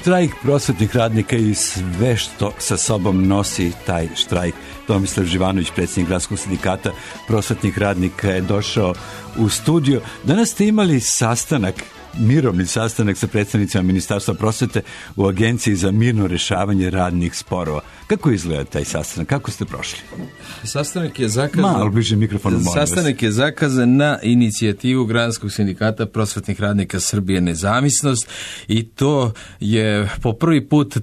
štrajk prosvetnih radnika i sve što sa sobom nosi taj štrajk. Tomislav Živanović, predsjednik Gradskog sindikata prosvetnih radnika, je došao u studio. Danas ste imali mirovni sastanak sa predstavnicima Ministarstva prosvete u Agenciji za mirno rješavanje radnih sporova. Kako izgleda taj sastanak? Kako ste prošli? Sastanak je zakazan. Malo bliže mikrofonu, molim vas. Sastanak je zakazan na inicijativu Gradskog sindikata prosvetnih radnika Srbije Nezavisnost i to je po prvi put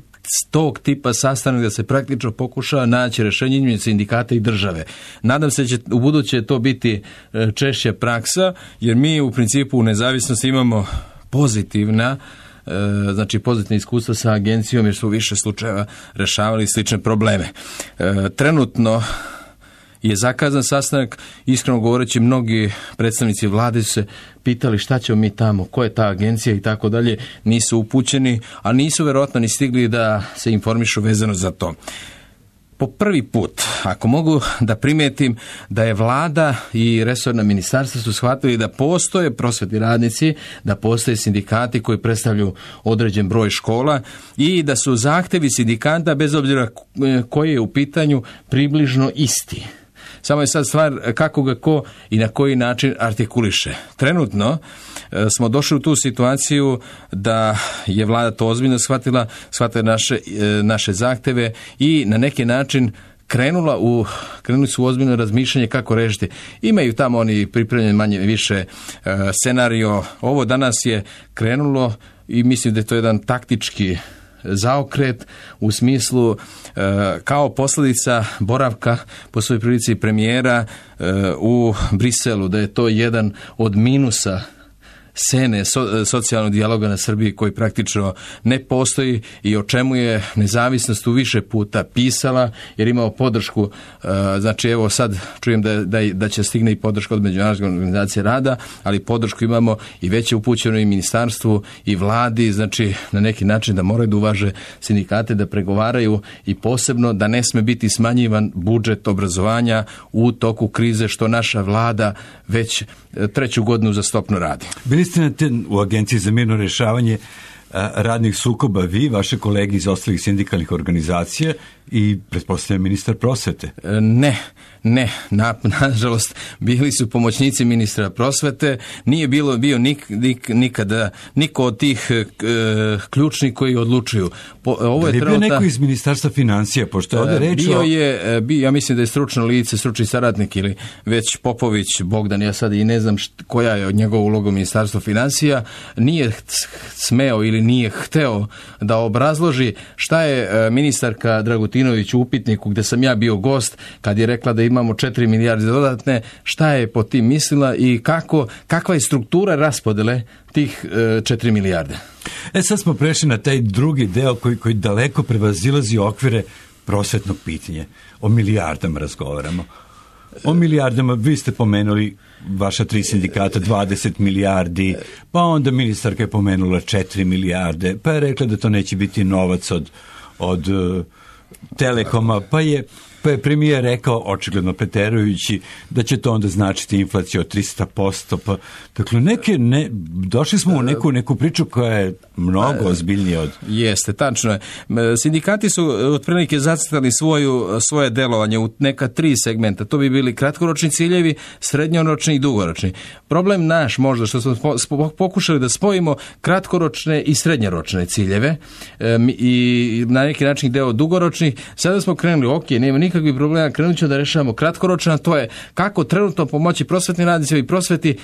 tog tipa sastanak da se praktično pokušava naći rješenje između sindikata i države. Nadam se da će u buduće to biti češća praksa, jer mi u principu u Nezavisnosti imamo pozitivna iskustva sa agencijom, jer su u više slučajeva rješavali slične probleme. Trenutno je zakazan sastanak, iskreno govoreći mnogi predstavnici vlade su se pitali šta ćemo mi tamo, ko je ta agencija i tako dalje, nisu upućeni, a nisu vjerojatno ni stigli da se informišu vezano za to. Po prvi put, ako mogu da primijetim da je vlada i resorna ministarstva su shvatili da postoje prosvetni radnici, da postoje sindikati koji predstavljaju određen broj škola i da su zahtjevi sindikata, bez obzira koji je u pitanju, približno isti. Samo je sad stvar kako ga ko i na koji način artikuliše. Trenutno smo došli u tu situaciju da je vlada to ozbiljno shvatila naše zahtjeve i na neki način krenuli su u ozbiljno razmišljanje kako rešiti. Imaju tamo oni pripremljen manje više scenario. Ovo danas je krenulo i mislim da je to jedan taktički zaokret u smislu kao posljedica boravka po svojoj prilici premijera u Briselu, da je to jedan od minusa scene socijalnog dijaloga na Srbiji koji praktično ne postoji i o čemu je Nezavisnost u više puta pisala, jer imao podršku, znači evo sad čujem da će stigne i podrška od Međunarodne organizacije rada, ali podršku imamo i već je upućeno i ministarstvu i vladi, znači na neki način da moraju da uvaže sindikate, da pregovaraju i posebno da ne sme biti smanjivan budžet obrazovanja u toku krize, što naša vlada već treću godinu uzastopno radi. Bili ste u Agenciji za mirno rješavanje radnih sukoba vi, vaše kolege iz ostalih sindikalnih organizacija i pretpostavljam ministar prosvete? Ne, nažalost bili su pomoćnici ministra prosvete, nije bio nikada niko od tih ključnih koji odlučuju. Ovo je bio neko iz Ministarstva financija, pošto je ovdje reč ja mislim da je stručno lice, stručni saradnik ili već Popović Bogdan, ja sad i ne znam koja je od njegova uloga u Ministarstvu financija, nije smeo ili nije hteo da obrazloži šta je ministarka Dragutinović u upitniku gdje sam ja bio gost kad je rekla da imamo 4 milijarde dodatne, šta je po tim mislila i kakva je struktura raspodele tih 4 milijarde. Sad smo prešli na taj drugi deo koji daleko prevazilazi okvire prosvetnog pitanja. O milijardama razgovaramo. O milijardama, vi ste pomenuli vaša 3 sindikata, 20 milijardi, pa onda ministarka je pomenula 4 milijarde, pa je rekla da to neće biti novac od Telekoma, pa je premijer rekao, očigledno preterujući, da će to onda značiti inflaciju od 300%. Pa, dakle, došli smo u neku priču koja je mnogo ozbiljnija od... Jeste, tačno je. Sindikati su otprilike zacrtali svoje delovanje u neka 3 segmenta. To bi bili kratkoročni ciljevi, srednjoročni i dugoročni. Problem naš možda što smo pokušali da spojimo kratkoročne i srednjoročne ciljeve i na neki način deo dugoročnih. Sada smo krenuli, nema nikakvih problema, krenut ćemo da rešavamo kratkoročno, to je kako trenutno pomoći prosvetnim radnicima i prosveti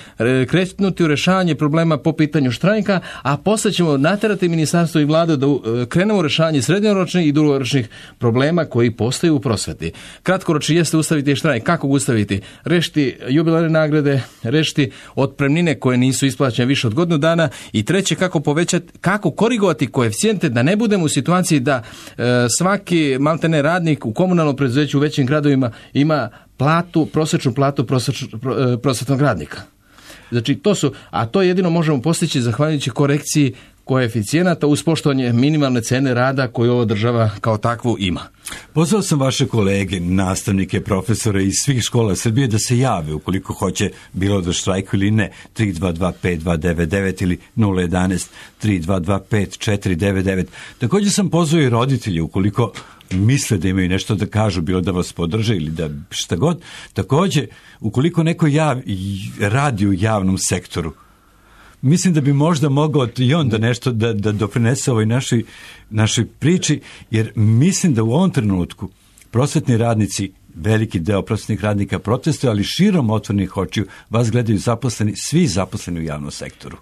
krenuti u rešavanje problema po pitanju štrajka, a posle ćemo naterati ministarstvo i vladu da krenemo u rešavanje srednjoročnih i dugoročnih problema koji postoje u prosveti. Kratkoročni jeste ustaviti štrajk. Kako ga ustaviti? Rešiti jubilarne nagrade, rešiti otpremnine koje nisu isplaćene više od godinu dana i treće kako korigovati koeficijente da ne budemo u situaciji da svaki maltene radnik u komunalnom preduzeću u većim gradovima ima prosječnu platu prosvetnog radnika. Znači to jedino možemo postići zahvaljujući korekciji koeficijenata uz poštovanje minimalne cene rada koju ova država kao takvu ima. Pozvao sam vaše kolege, nastavnike, profesore iz svih škola Srbije da se jave ukoliko hoće bilo da štrajku ili ne. 322-5299 ili 011-322-5499. Također sam pozvao i roditelje ukoliko misle da imaju nešto da kažu, bilo da vas podrže ili da šta god. Također, ukoliko neko radi u javnom sektoru, mislim da bi možda mogao i on da nešto da doprinese ovoj našoj priči, jer mislim da u ovom trenutku prosvetni radnici, veliki deo prosvetnih radnika protestuje, ali širom otvorenih očiju vas gledaju zaposleni, svi zaposleni u javnom sektoru.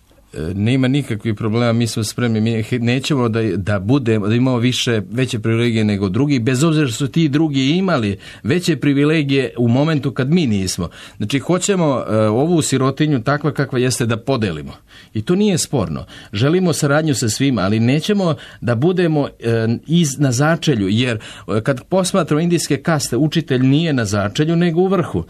Nema nikakvih problema, mi smo spremni, mi nećemo da imamo veće privilegije nego drugi, bez obzira što su ti drugi imali veće privilegije u momentu kad mi nismo. Znači, hoćemo ovu sirotinju takva kakva jeste da podelimo. I to nije sporno. Želimo saradnju sa svima, ali nećemo da budemo na začelju, jer kad posmatramo indijske kaste, učitelj nije na začelju, nego u vrhu.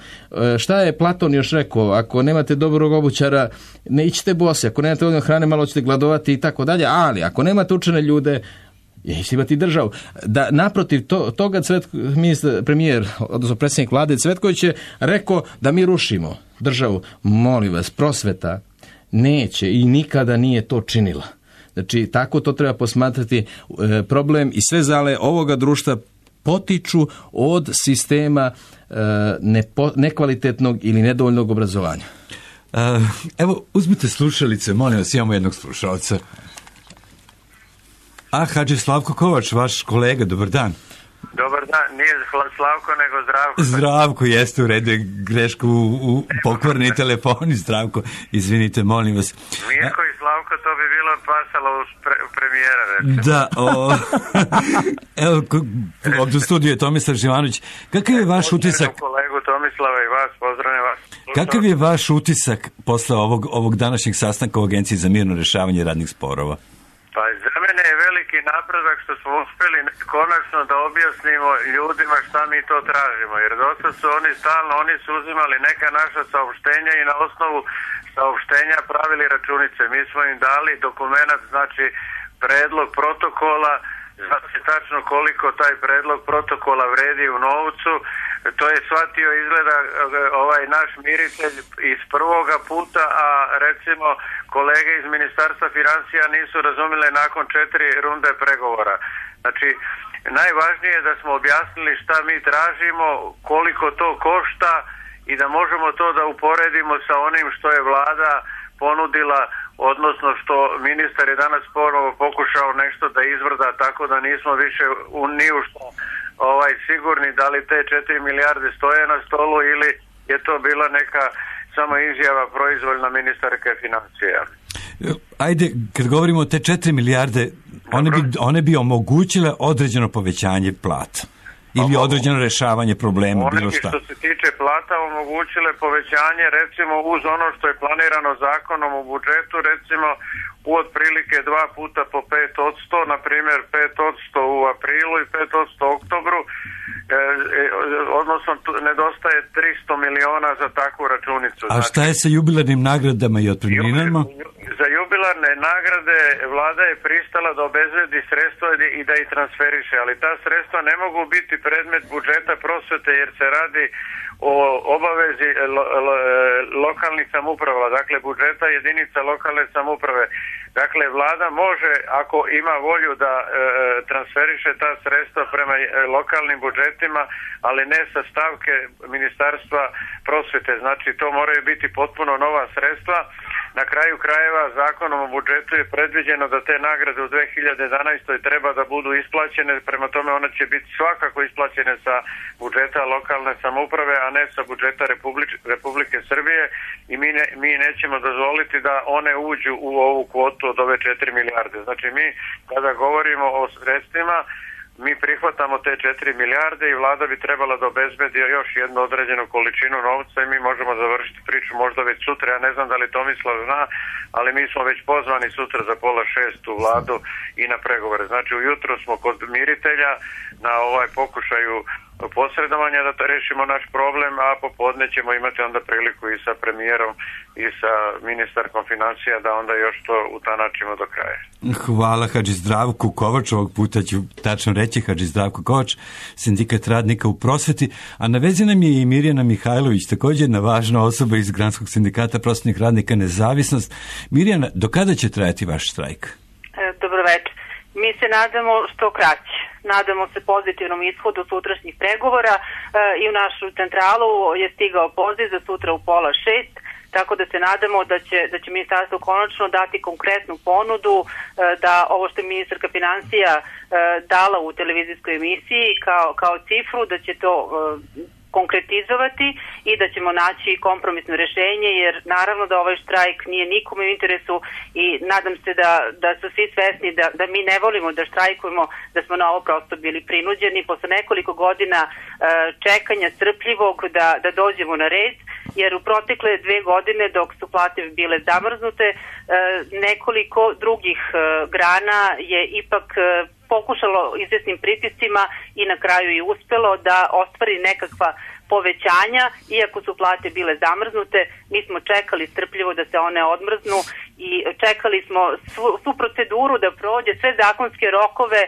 Šta je Platon još rekao? Ako nemate dobrog obućara, ne ićete bosi, ako nemate dovoljno hrane, malo ćete gladovati i tako dalje, ali ako nemate učene ljude, nećete imati državu. Da, naprotiv toga premijer, odnosno predsjednik vlade Cvetković je rekao da mi rušimo državu. Molim vas, prosveta neće i nikada nije to činila. Znači, tako to treba posmatrati. Problem i sve zale ovoga društva potiču od sistema nekvalitetnog ili nedovoljnog obrazovanja. Evo, uzmite slušalice, molim vas, imamo jednog slušalca. Hadži Slavko Kovač, vaš kolega, dobar dan. Dobar dan, nije Slavko, nego Zdravko. Zdravko, jeste, u redu, grešku u pokvarni telefoni, Zdravko, izvinite, molim vas. Mirko i Slavko, to bi bilo pasalo u premijera, recimo. Da, evo, ovdje u studiju je Tomislav Živanović. Kakav je vaš utisak? Kolegu Tomislava i vas, pozdravljam vas. Kakav je vaš utisak posle ovog današnjeg sastanka u Agenciji za mirno rješavanje radnih sporova? Pa za mene je veliki napredak što smo uspjeli konačno da objasnimo ljudima šta mi to tražimo, jer dosta su oni su uzimali neka naša saopštenja i na osnovu saopštenja pravili računice. Mi smo im dali dokumenat, znači predlog protokola, znači tačno koliko taj predlog protokola vredi u novcu. To je shvatio izgleda ovaj naš miritelj iz prvoga puta, a recimo kolege iz Ministarstva financija nisu razumjeli nakon 4 runde pregovora. Znači, najvažnije je da smo objasnili šta mi tražimo, koliko to košta i da možemo to da uporedimo sa onim što je vlada ponudila, odnosno što ministar je danas ponovo pokušao nešto da izvrda, tako da nismo više ni u što sigurni da li te 4 milijarde stoje na stolu ili je to bila neka samo izjava proizvoljna ministarke financija. Ajde, kad govorimo o te 4 milijarde, one bi omogućile određeno povećanje plata ili određeno rješavanje problema, bilo šta. Što se tiče plata, omogućile povećanje recimo uz ono što je planirano zakonom u budžetu, recimo u otprilike 2 puta po 5%, na primjer 5% u aprilu i 5% u oktobru, odnosno nedostaje 300 miliona za takvu računicu. A šta je sa jubilarnim nagradama i otpremninama? Za jubilarne nagrade vlada je pristala da obezbedi sredstva i da ih transferiše, ali ta sredstva ne mogu biti predmet budžeta prosvete jer se radi o obavezi lokalnih samouprava, dakle budžeta jedinica lokalne samouprave. Dakle, vlada može, ako ima volju da transferiše ta sredstva prema lokalnim budžetima, ali ne sa stavke Ministarstva prosvete. Znači, to moraju biti potpuno nova sredstva. Na kraju krajeva zakonom o budžetu je predviđeno da te nagrade u 2011. treba da budu isplaćene, prema tome one će biti svakako isplaćene sa budžeta lokalne samouprave, a ne sa budžeta Republike Srbije i mi nećemo dozvoliti da one uđu u ovu kvotu od ove 4 milijarde. Znači mi kada govorimo o sredstvima, mi prihvatamo te 4 milijarde i vlada bi trebala da obezbedi još jednu određenu količinu novca i mi možemo završiti priču možda već sutra. Ja ne znam da li Tomislav zna, ali mi smo već pozvani sutra za 5:30 u vladu i na pregovore. Znači ujutro smo kod miritelja, na ovaj pokušaju posredovanja da to rešimo naš problem, a popodne ćemo imati onda priliku i sa premijerom i sa ministarkom financija da onda još to utanačimo do kraja. Hvala Hadži Zdravku Kovač, ovog puta ću tačno reći Hadži Zdravko Kovač, Sindikat radnika u prosveti, a na vezi nam je i Mirjana Mihajlović, također jedna važna osoba iz Granskog sindikata prosvetnih radnika Nezavisnost. Mirjana, do kada će trajati vaš štrajk? Dobro večer. Mi se nadamo što kraće. Nadamo se pozitivnom ishodu sutrašnjih pregovora i u našu centralu je stigao poziv za sutra u 5:30, tako da se nadamo da će ministarstvo konačno dati konkretnu ponudu da ovo što je ministarka financija dala u televizijskoj emisiji kao cifru, da će to konkretizovati i da ćemo naći kompromisno rješenje, jer naravno da ovaj štrajk nije nikome u interesu i nadam se da su svi svesni da mi ne volimo da štrajkujemo, da smo na ovo prosto bili prinuđeni posle nekoliko godina čekanja strpljivog da dođemo na red, jer u protekle 2 godine dok su plate bile zamrznute, nekoliko drugih grana je ipak pokušalo izvjesnim pritiscima i na kraju i uspelo da ostvari nekakva povećanja, iako su plate bile zamrznute. Mi smo čekali strpljivo da se one odmrznu i čekali smo svu proceduru da prođe, sve zakonske rokove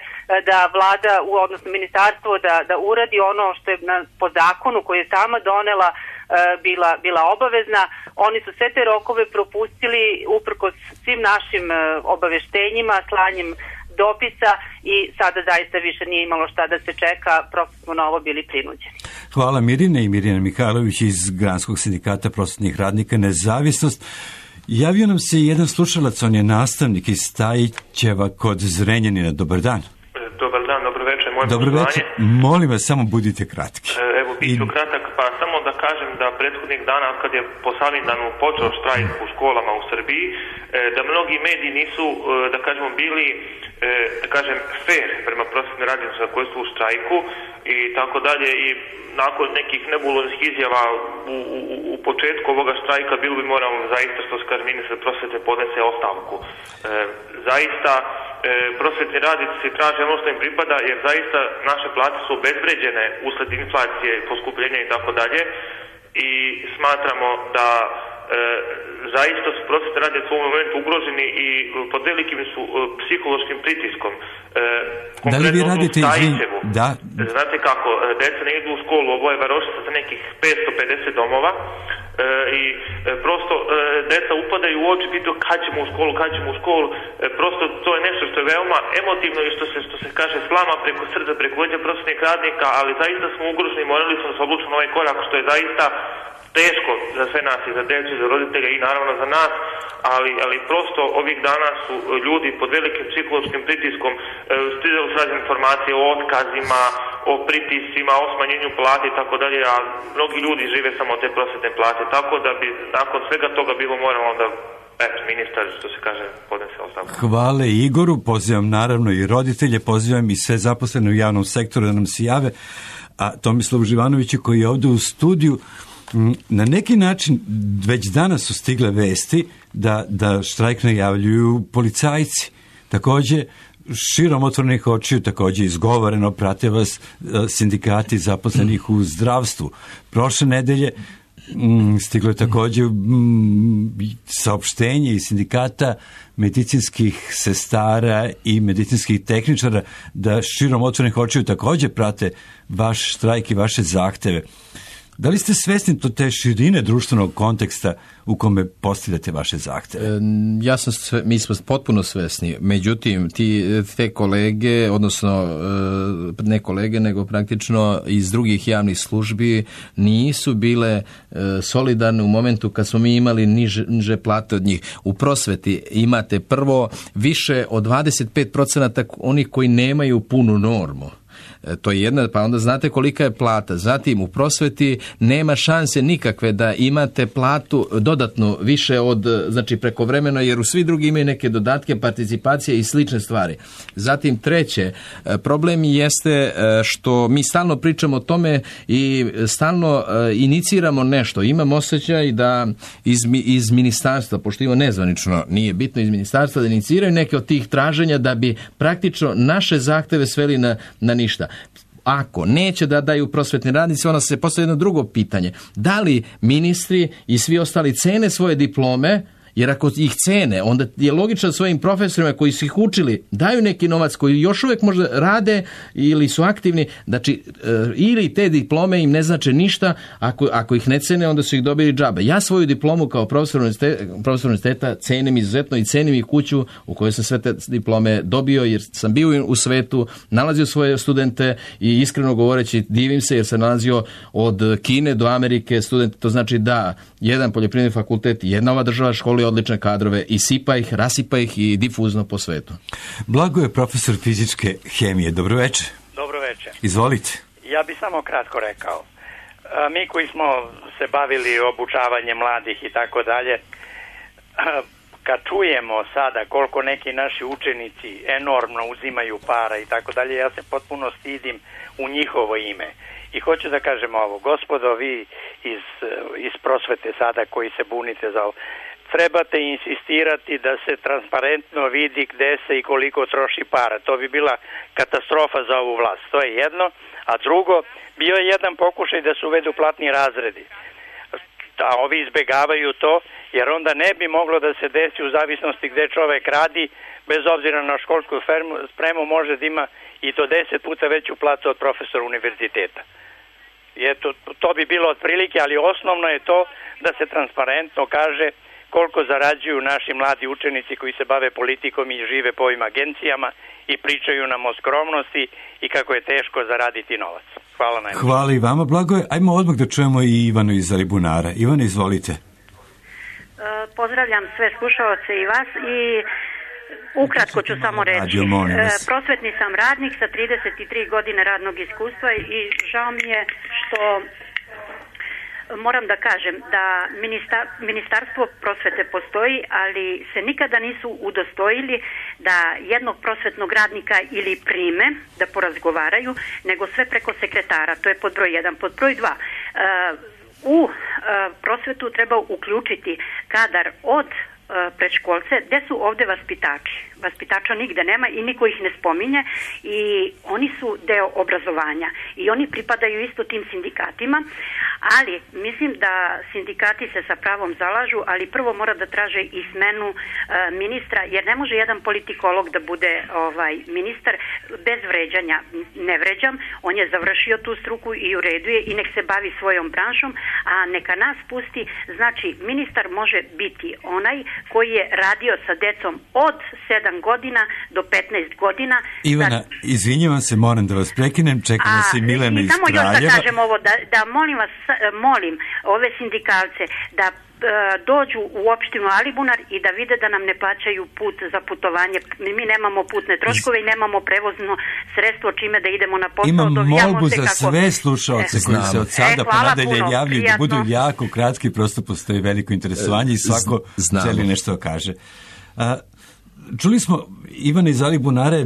da vlada, odnosno ministarstvo da uradi ono što je po zakonu koji je sama donela bila obavezna. Oni su sve te rokove propustili uprkos svim našim obaveštenjima, slanjem dopisa i sada zaista više nije imalo šta da se čeka, prosto smo na ovo bili prinuđeni. Hvala Mirine i Mirjana Mihajlović iz Granskog sindikata prosvetnih radnika Nezavisnost. Javio nam se jedan slušalac, on je nastavnik iz Stajićeva kod Zrenjanina. Dobar dan. Dobar dan, dobro večer. Dobro večer, molim vas, samo budite kratki. Evo, bit ću kratak, pa samo da kažem da prethodnih dana kad je po Salindanu počeo štrajk u školama u Srbiji, da mnogi mediji nisu, da kažemo, bili fair prema prosvetnim radnicima koji su u štrajku i tako dalje, i nakon nekih nebuloznih izjava u početku ovoga štrajka bilo bi moralo zaista, što se kaže, ministar prosvete podnese ostavku. Zaista prosvetni radnici traže ono što im pripada, jer zaista naše plate su obezvređene usled inflacije, poskupljenja i tako dalje, i smatramo da zaista su prosvetni radnici u ovom momentu ugroženi i pod velikim su psihološkim pritiskom. Da li vi radite Stajićevu, znate kako, deca ne idu u školu, ovo je varošica sa nekih 550 domova, i prosto deca upadaju u oči, pitaju kad ćemo u školu, prosto to je nešto što je veoma emotivno i što se kaže slama preko srca, preko leđa prosvetnih radnika, ali zaista smo ugroženi, morali smo da se odlučimo na ovaj korak, što je zaista teško za sve nas i za djecu i za roditelje i naravno za nas, ali prosto ovih dana su ljudi pod velikim psihološkim pritiskom, stizali su razne informacije o otkazima, o pritiscima, o smanjenju plate i tako dalje, a mnogi ljudi žive samo od te prosvetne plate, tako da bi nakon svega toga bilo moralo onda ministar, što se kaže, podnese ostavku. Hvala Igoru, pozivam naravno i roditelje, pozivam i sve zaposlene u javnom sektoru da nam se jave, a Tomislavu Živanoviću koji je ovdje u studiju. Na neki način već danas su stigle vesti da štrajk najavljuju policajci. Također, širom otvorenih očiju, također izgovoreno, prate vas sindikati zaposlenih u zdravstvu. Prošle nedelje stiglo je također saopštenje iz sindikata medicinskih sestara i medicinskih tehničara da širom otvorenih očiju također prate vaš štrajk i vaše zahteve. Da li ste svjesni te širine društvenog konteksta u kome postavljate vaše zahtjeve? Mi smo potpuno svjesni. Međutim, te kolege, odnosno ne kolege, nego praktično iz drugih javnih službi nisu bile solidarne u momentu kad smo mi imali niže plate od njih. U prosveti imate prvo više od 25% onih koji nemaju punu normu. To je jedna, pa onda znate kolika je plata. Zatim u prosveti nema šanse nikakve da imate platu dodatno više od, znači prekovremeno, jer u svi drugi imaju neke dodatke, participacije i slične stvari. Zatim treće, problem jeste što mi stalno pričamo o tome i stalno iniciramo nešto. Imam osjećaj da iz ministarstva, pošto ima nezvanično, nije bitno, iz ministarstva da iniciraju neke od tih traženja da bi praktično naše zahteve sveli na ništa. Ako neće da daju prosvetni radnici, onda se postavlja jedno drugo pitanje. Da li ministri i svi ostali cene svoje diplome? Jer ako ih cene, onda je logično svojim profesorima koji su ih učili daju neki novac koji još uvijek možda rade ili su aktivni, znači ili te diplome im ne znače ništa, ako ih ne cene, onda su ih dobili džabe. Ja svoju diplomu kao profesor univerziteta cenim izuzetno i cenim i kuću u kojoj sam sve te diplome dobio, jer sam bio u svetu, nalazio svoje studente i iskreno govoreći divim se jer sam nalazio od Kine do Amerike studente, to znači da jedan poljoprivredni fakultet, jedna ova država školi odlične kadrove i sipa ih, rasipa ih i difuzno po svetu. Blagoje, profesor fizičke hemije. Dobro večer. Dobro večer. Izvolite. Ja bih samo kratko rekao. Mi koji smo se bavili obučavanjem mladih i tako dalje, kad čujemo sada koliko neki naši učenici enormno uzimaju para i tako dalje, ja se potpuno stidim u njihovo ime. I hoću da kažem ovo, gospodo, vi iz prosvete sada koji se bunite za ovo, trebate insistirati da se transparentno vidi gde se i koliko troši para. To bi bila katastrofa za ovu vlast. To je jedno. A drugo, bio je jedan pokušaj da se uvedu platni razredi. A ovi izbegavaju to, jer onda ne bi moglo da se desi u zavisnosti gde čovek radi, bez obzira na školsku spremu, može da ima i do 10 puta veću platu od profesora univerziteta. To bi bilo otprilike, ali osnovno je to da se transparentno kaže koliko zarađuju naši mladi učenici koji se bave politikom i žive po ovim agencijama i pričaju nam o skromnosti i kako je teško zaraditi novac. Hvala najbolje. Hvala i vama, Blagoje. Ajmo odmah da čujemo i Ivanu iz Alibunara. Ivana, izvolite. Pozdravljam sve slušaoce i vas i ukratko ću samo reći. Prosvetni sam radnik sa 33 godine radnog iskustva i žao mi je što moram da kažem da Ministarstvo prosvete postoji, ali se nikada nisu udostojili da jednog prosvetnog radnika ili prime da porazgovaraju, nego sve preko sekretara. To je pod broj 1. Pod broj 2. U prosvetu treba uključiti kadar od predškolce, gde su ovde vaspitači. Vaspitača nigde nema i niko ih ne spominje i oni su deo obrazovanja i oni pripadaju isto tim sindikatima, ali mislim da sindikati se sa pravom zalažu, ali prvo mora da traže i smenu ministra, jer ne može jedan politikolog da bude ministar bez vređanja. Ne vređam, on je završio tu struku i u redu je i nek se bavi svojom branšom, a neka nas pusti. Znači, ministar može biti onaj koji je radio sa decom od 7 godina do 15 godina. Ivana, izvinjavam se, moram da vas prekinem, čeka nas i Milena iz Kraljeva. Samo još da kažem ovo, da molim ove sindikalce da dođu u opštinu Alibunar i da vide da nam ne plaćaju put za putovanje. Mi nemamo putne troškove i nemamo prevozno sredstvo čime da idemo na posao. Imam molbu za sve slušaoce koji se od sada pa nadalje javljaju da budu jako kratki, prosto postoji veliko interesovanje i svako želi nešto kaže. Čuli smo, Ivana iz Alibunare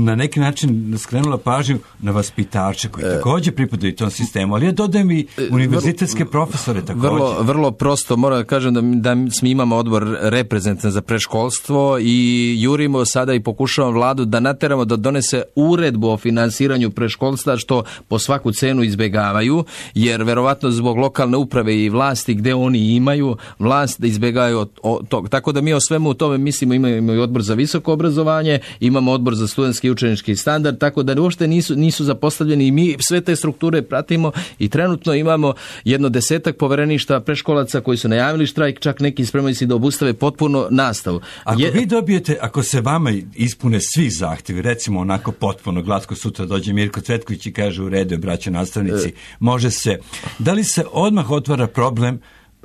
na neki način skrenula pažnju na vaspitače koji također pripadaju tom sistemu, ali ja dodajem i univerzitetske profesore također. Vrlo prosto, moram da kažem da mi imamo odbor reprezentativan za predškolstvo i jurimo sada i pokušavamo vladu da nateramo da donese uredbu o finansiranju predškolstva, što po svaku cenu izbegavaju, jer verovatno zbog lokalne uprave i vlasti gde oni imaju vlast da izbegavaju od toga. Tako da mi o svemu u tome mislimo, imamo i odbor za visoko obrazovanje, imamo odbor za studentski i učenički standard, tako da uopšte nisu zapostavljeni i mi sve te strukture pratimo i trenutno imamo 10 povereništa predškolaca koji su najavili štrajk, čak neki spremaju se da obustave potpuno nastavu. Vi dobijete, ako se vama ispune svi zahtjevi, recimo onako potpuno glatko, sutra dođe Mirko Cvetković i kaže u redu, braćo nastavnici, može se. Da li se odmah otvara problem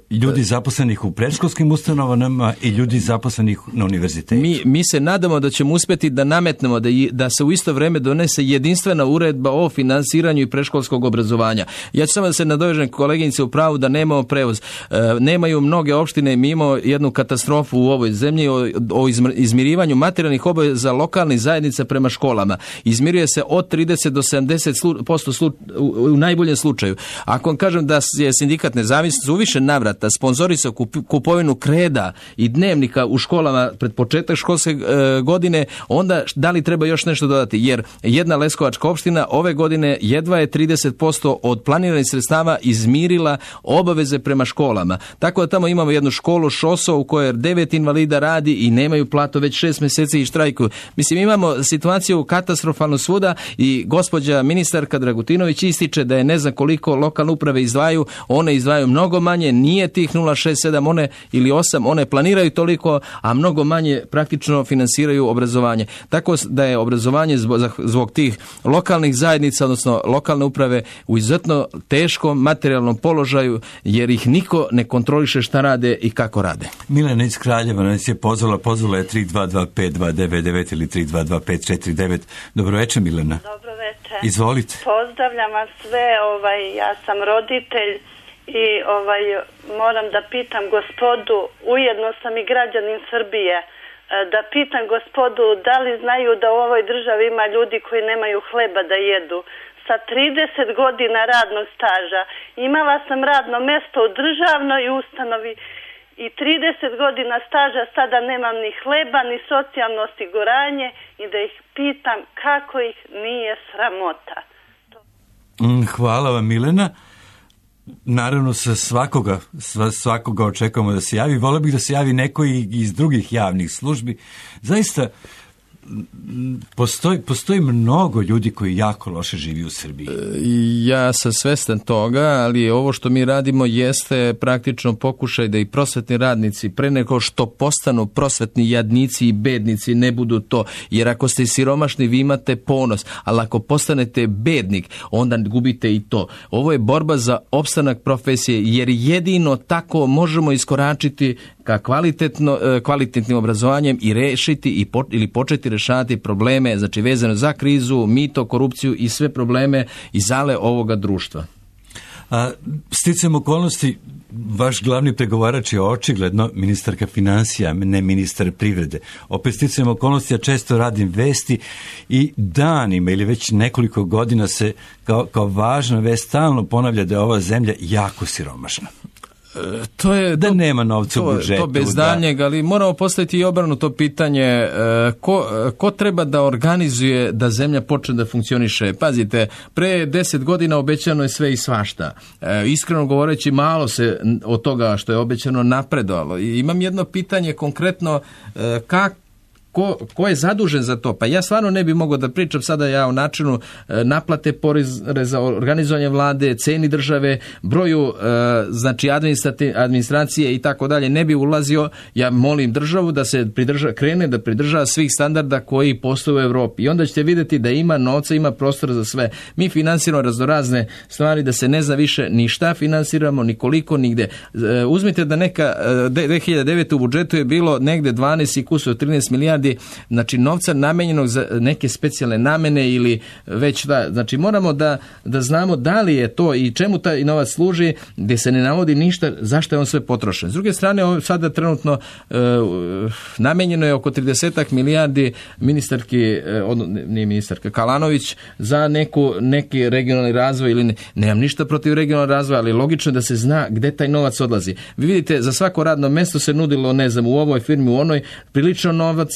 ljudi zaposlenih u predškolskim ustanovama i ljudi zaposlenih na univerzitetu? Mi se nadamo da ćemo uspjeti da nametnemo da se u isto vrijeme donese jedinstvena uredba o finansiranju i predškolskog obrazovanja. Ja ću samo da se nadovežem koleginice u pravu da nemamo prevoz. Nemaju mnoge opštine, mi imamo jednu katastrofu u ovoj zemlji o izmirivanju materijalnih obaveza lokalnih zajednica prema školama. Izmiruje se od 30 do 70% u najboljem slučaju. Ako vam kažem da je sindikat nezavisnosti u više navrata Sindikata sponzorisao kupovinu kreda i dnevnika u školama pred početak školske godine, onda da li treba još nešto dodati? Jer jedna leskovačka opština ove godine jedva je 30% od planiranih sredstava izmirila obaveze prema školama. Tako da tamo imamo jednu školu Šoso u kojoj 9 invalida radi i nemaju platu već 6 mjeseci i štrajkuju. Mislim, imamo situaciju katastrofalnu svuda i gospođa ministarka Dragutinović ističe da je ne znam koliko lokalne uprave izdvajaju, one izdvajaju mnogo manje, nije tih 0,67 one ili 8, one planiraju toliko, a mnogo manje praktično finansiraju obrazovanje. Tako da je obrazovanje zbog tih lokalnih zajednica, odnosno lokalne uprave, u izuzetno teškom materijalnom položaju, jer ih niko ne kontroliše šta rade i kako rade. Milena iz Kraljeva nas je pozvala je 3225-299 ili 322549. Dobro večer, Milena. Dobro večer. Izvolite. Pozdravljam vas sve, ja sam roditelj i moram da pitam gospodu, ujedno sam i građanin Srbije, da pitam gospodu da li znaju da u ovoj državi ima ljudi koji nemaju hleba da jedu. Sa 30 godina radnog staža imala sam radno mesto u državnoj ustanovi i 30 godina staža, sada nemam ni hleba, ni socijalno osiguranje i da ih pitam kako ih nije sramota. Hvala vam, Milena. Naravno, sa svakoga očekujemo da se javi. Volio bih da se javi neko i iz drugih javnih službi. Zaista, postoji mnogo ljudi koji jako loše živi u Srbiji. Ja sam svestan toga, ali ovo što mi radimo jeste praktično pokušaj da i prosvetni radnici pre nego što postanu prosvetni jadnici i bednici ne budu to. Jer ako ste siromašni, vi imate ponos, ali ako postanete bednik, onda gubite i to. Ovo je borba za opstanak profesije, jer jedino tako možemo iskoračiti ka kvalitetnim obrazovanjem i rešiti ili početi rešavati probleme, znači vezano za krizu, mito, korupciju i sve probleme i zale ovoga društva. Sticajem okolnosti, vaš glavni pregovarač je očigledno ministarka financija, ne ministar privrede. Opet sticajem okolnosti, ja često radim vesti i danima ili već nekoliko godina se kao važna vest stalno ponavlja da je ova zemlja jako siromašna. Da nema novca u budžetu. To bez daljnjeg, ali moramo postaviti i obrnuto pitanje, ko treba da organizuje da zemlja počne da funkcioniše? Pazite, pre 10 godina obećano je sve i svašta. Iskreno govoreći, malo se od toga što je obećano napredovalo. I imam jedno pitanje konkretno, ko je zadužen za to? Pa ja stvarno ne bi mogao da pričam sada ja o načinu naplate poreza, organizovanja vlade, ceni države, broju znači administracije i tako dalje. Ne bi ulazio. Ja molim državu da se krene da pridržava svih standarda koji postoje u Evropi. I onda ćete vidjeti da ima novca, ima prostora za sve. Mi finansiramo raznorazne stvari da se ne zna više ni šta finansiramo, ni koliko, nigde. Uzmite da neka 2009. u budžetu je bilo negde 12 i kusur 13 milijardi, znači novca namenjenog za neke specijalne namene ili već da, znači moramo da znamo da li je to i čemu taj novac služi, gdje se ne navodi ništa, zašto je on sve potrošen. S druge strane, sada trenutno namenjeno je oko 30 milijardi nije ministarka Kalanović za neki regionalni razvoj ili nemam ništa protiv regionalnog razvoja, ali logično da se zna gdje taj novac odlazi. Vi vidite, za svako radno mesto se nudilo, ne znam, u ovoj firmi, u onoj, prilično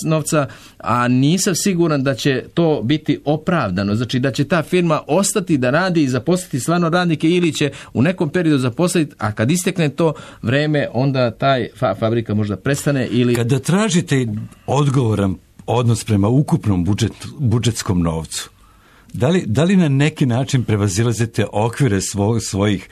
novca, a nisam siguran da će to biti opravdano. Znači da će ta firma ostati da radi i zaposliti stvarno radnike ili će u nekom periodu zaposliti, a kad istekne to vreme, onda taj fabrika možda prestane ili... Kada tražite odgovoran odnos prema ukupnom budžetskom novcu, da li na neki način prevazilazite okvire svojih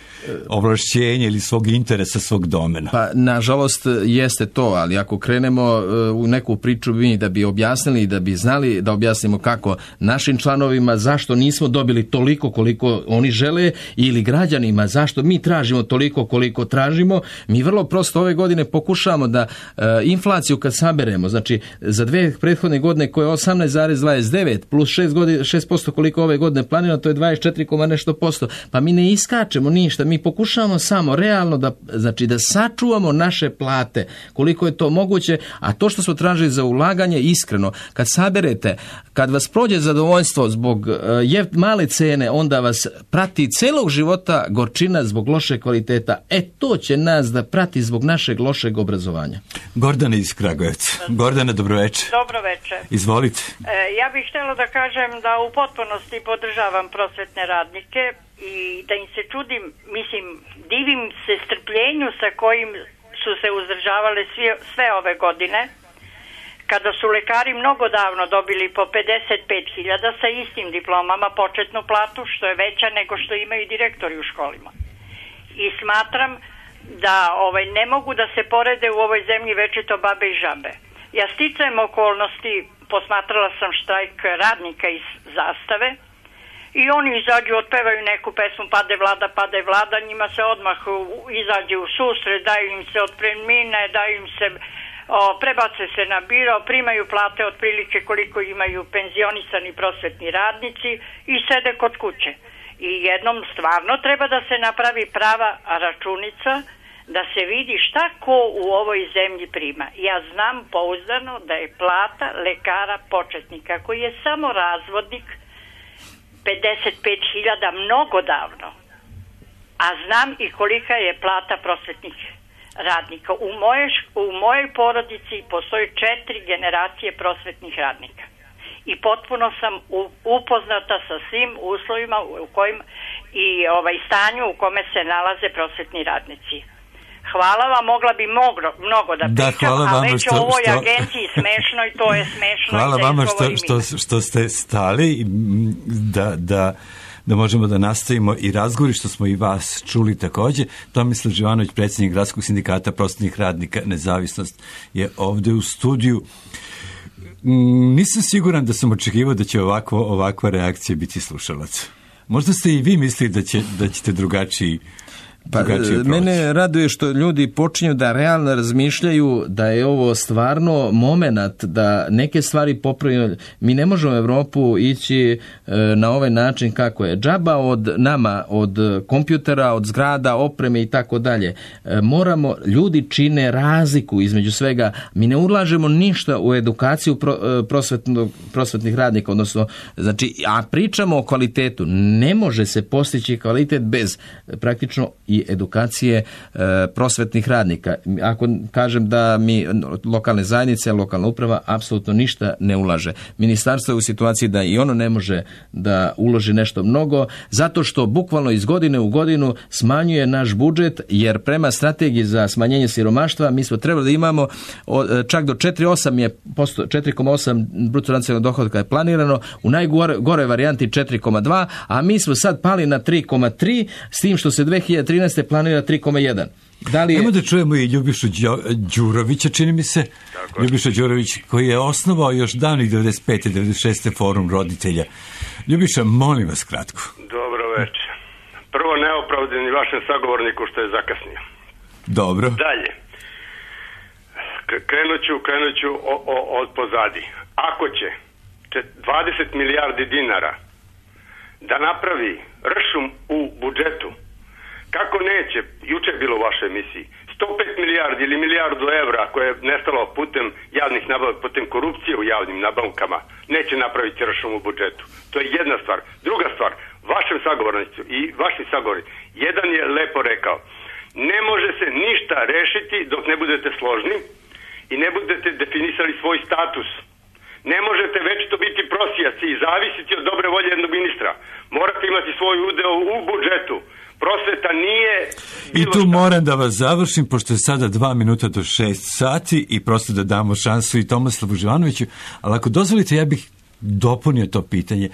ovlašćenja ili svog interesa, svog domena? Pa, nažalost, jeste to, ali ako krenemo u neku priču da bi objasnili i da bi znali da objasnimo kako našim članovima zašto nismo dobili toliko koliko oni žele ili građanima zašto mi tražimo toliko koliko tražimo, mi vrlo prosto ove godine pokušavamo da inflaciju kad saberemo, znači za 2 prethodne godine koje je 18,29 plus 6% koliko koliko ove godine planirano, to je 24, nešto posto. Pa mi ne iskačemo ništa, mi pokušavamo samo realno da sačuvamo naše plate, koliko je to moguće, a to što smo tražili za ulaganje, iskreno, kad saberete, kad vas prođe zadovoljstvo zbog male cene, onda vas prati celog života gorčina zbog loše kvaliteta. To će nas da prati zbog našeg lošeg obrazovanja. Gordana iz Kragujevca. Gordana, dobroveče. Dobroveče. Izvolite. Ja bih htjela da kažem da u potpunosti podržavam prosvetne radnike i da im se čudim, divim se strpljenju sa kojim su se uzdržavale sve ove godine, kada su lekari mnogo davno dobili po 55.000 sa istim diplomama početnu platu, što je veća nego što imaju direktori u školima. I smatram da ne mogu da se porede u ovoj zemlji večito babe i žabe. Ja sticajem okolnosti, posmatrala sam štrajk radnika iz Zastave i oni izađu, otpevaju neku pesmu Pade vlada, njima se odmah izađe u susret, daju im se otpremnine, daju im se, prebace se na biro, primaju plate otprilike koliko imaju penzionisani prosvetni radnici i sede kod kuće. I jednom stvarno treba da se napravi prava računica, da se vidi šta ko u ovoj zemlji prima. Ja znam pouzdano da je plata lekara početnika, koji je samo razvodnik, 55.000 mnogo davno. A znam i kolika je plata prosvetnih radnika. U mojoj porodici postoji 4 generacije prosvetnih radnika. I potpuno sam upoznata sa svim uslovima u kojim i stanju u kome se nalaze prosvetni radnici. Hvala vam, mogla bi mnogo da pričam, a već o ovoj agenciji smešno i to je smešno. Hvala vama što ste stali da možemo da nastavimo i razgovori, što smo i vas čuli također. Tomislav Živanović, predsjednik Gradskog sindikata prosvetnih radnika Nezavisnost, je ovdje u studiju. Nisam siguran da sam očekivao da će ovakva reakcija biti slušalac. Možda ste i vi mislili da ćete drugačiji. Mene raduje što ljudi počinju da realno razmišljaju da je ovo stvarno momenat da neke stvari popravimo. Mi ne možemo u Evropu ići na ovaj način kako je. Džaba od nama, od kompjutera, od zgrada, opreme i tako dalje. Moramo, ljudi čine razliku između svega. Mi ne ulažemo ništa u edukaciju prosvetnih radnika, odnosno, a pričamo o kvalitetu. Ne može se postići kvalitet bez praktično i edukacije prosvetnih radnika. Ako kažem da mi lokalne zajednice, lokalna uprava apsolutno ništa ne ulaže. Ministarstvo je u situaciji da i ono ne može da uloži nešto mnogo, zato što bukvalno iz godine u godinu smanjuje naš budžet, jer prema strategiji za smanjenje siromaštva mi smo trebali da imamo čak do 4,8% bruto nacionalnog dohotka je planirano, u najgore varijanti 4,2, a mi smo sad pali na 3,3, s tim što se 2013. planira 3,1. Ajmo da čujemo i Ljubišu Đurovića, čini mi se. Tako. Ljubiša Đurović, koji je osnovao još davnih 95. 96. forum roditelja. Ljubiša, molim vas kratko. Dobro večer. Prvo, neopravdani vašem sagovorniku što je zakasnio. Dobro. Dalje. Krenut ću od pozadi. Ako će 20 milijardi dinara da napravi ršum u budžetu, kako neće, juče je bilo u vašoj emisiji, 105 milijardi ili milijardu evra koje je nestalo putem javnih nabavka, putem korupcije u javnim nabavkama, neće napraviti ršum u budžetu. To je jedna stvar. Druga stvar, vašem sagovornicu i vaši sagovornici, jedan je lepo rekao, ne može se ništa rešiti dok ne budete složni i ne budete definisali svoj status. Ne možete već to biti prosijaci i zavisiti od dobre volje jednog ministra. Morate imati svoj udeo u budžetu. Prosveta nije... I tu moram da vas završim, pošto je sada 2 minuta do 6 sati i prosto da damo šansu i Tomislavu Živanoviću, ali ako dozvolite, ja bih dopunio to pitanje.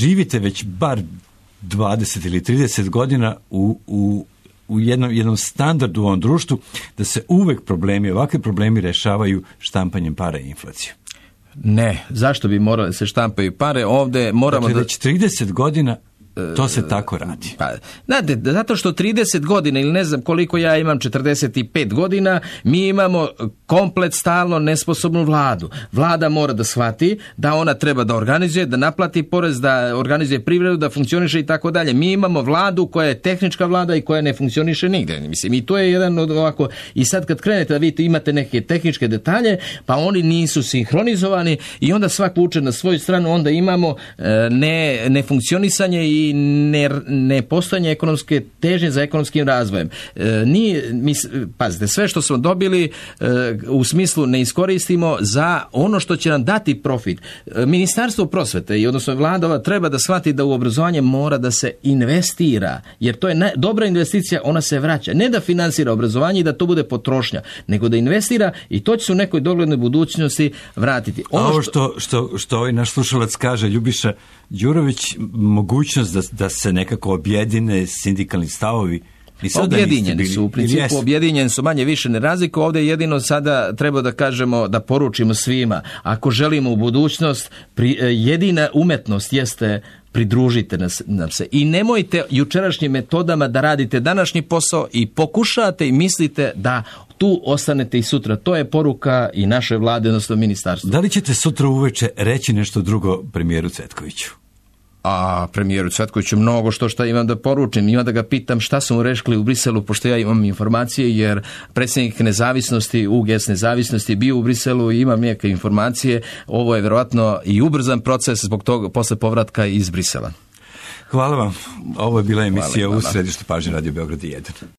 Živite već bar 20 ili 30 godina u jednom standardu u ovom društvu, da se uvek ovakvi problemi rešavaju štampanjem para i inflacijom. Ne, zašto bi morali se štampaju pare? Ovdje moramo već 30 godina To se tako radi. Pa, znate, zato što 30 godina ili ne znam koliko ja imam, 45 godina, mi imamo komplet stalno nesposobnu vladu. Vlada mora da shvati da ona treba da organizuje, da naplati porez, da organizuje privredu, da funkcioniše i tako dalje. Mi imamo vladu koja je tehnička vlada i koja ne funkcioniše nigde. Mislim, i to je jedan od ovako, i sad kad krenete da vidite imate neke tehničke detalje, pa oni nisu sinhronizovani i onda svak vuče na svoju stranu, onda imamo nefunkcionisanje i nepostojanje ekonomske težnje za ekonomskim razvojem. Pazite, sve što smo dobili u smislu ne iskoristimo za ono što će nam dati profit. Ministarstvo prosvete i odnosno vlada treba da shvati da u obrazovanje mora da se investira, jer to je dobra investicija, ona se vraća. Ne da finansira obrazovanje i da to bude potrošnja, nego da investira i to će se u nekoj doglednoj budućnosti vratiti. Ovo što ovaj naš slušalac kaže, Ljubiša Đurović, mogućnost da se nekako objedine sindikalni stavovi. Objedinjeni su, u principu objedinjeni su, manje više ne razliku. Ovdje jedino sada treba da kažemo, da poručimo svima, ako želimo u budućnost, jedina umetnost jeste pridružite nam se i nemojte jučerašnjim metodama da radite današnji posao i pokušate i mislite da tu ostanete i sutra. To je poruka i naše vlade, odnosno ministarstva. Da li ćete sutra uveče reći nešto drugo premijeru Cvetkoviću? A premijeru Cvetkoviću mnogo što imam da poručim. Imam da ga pitam šta su mu rekli u Briselu, pošto ja imam informacije, jer predsjednik nezavisnosti, UGS nezavisnosti bio u Briselu i imam neke informacije. Ovo je vjerojatno i ubrzan proces zbog toga posle povratka iz Brisela. Hvala vam. Ovo je bila emisija u središtu pažnje Radio Beograd 1.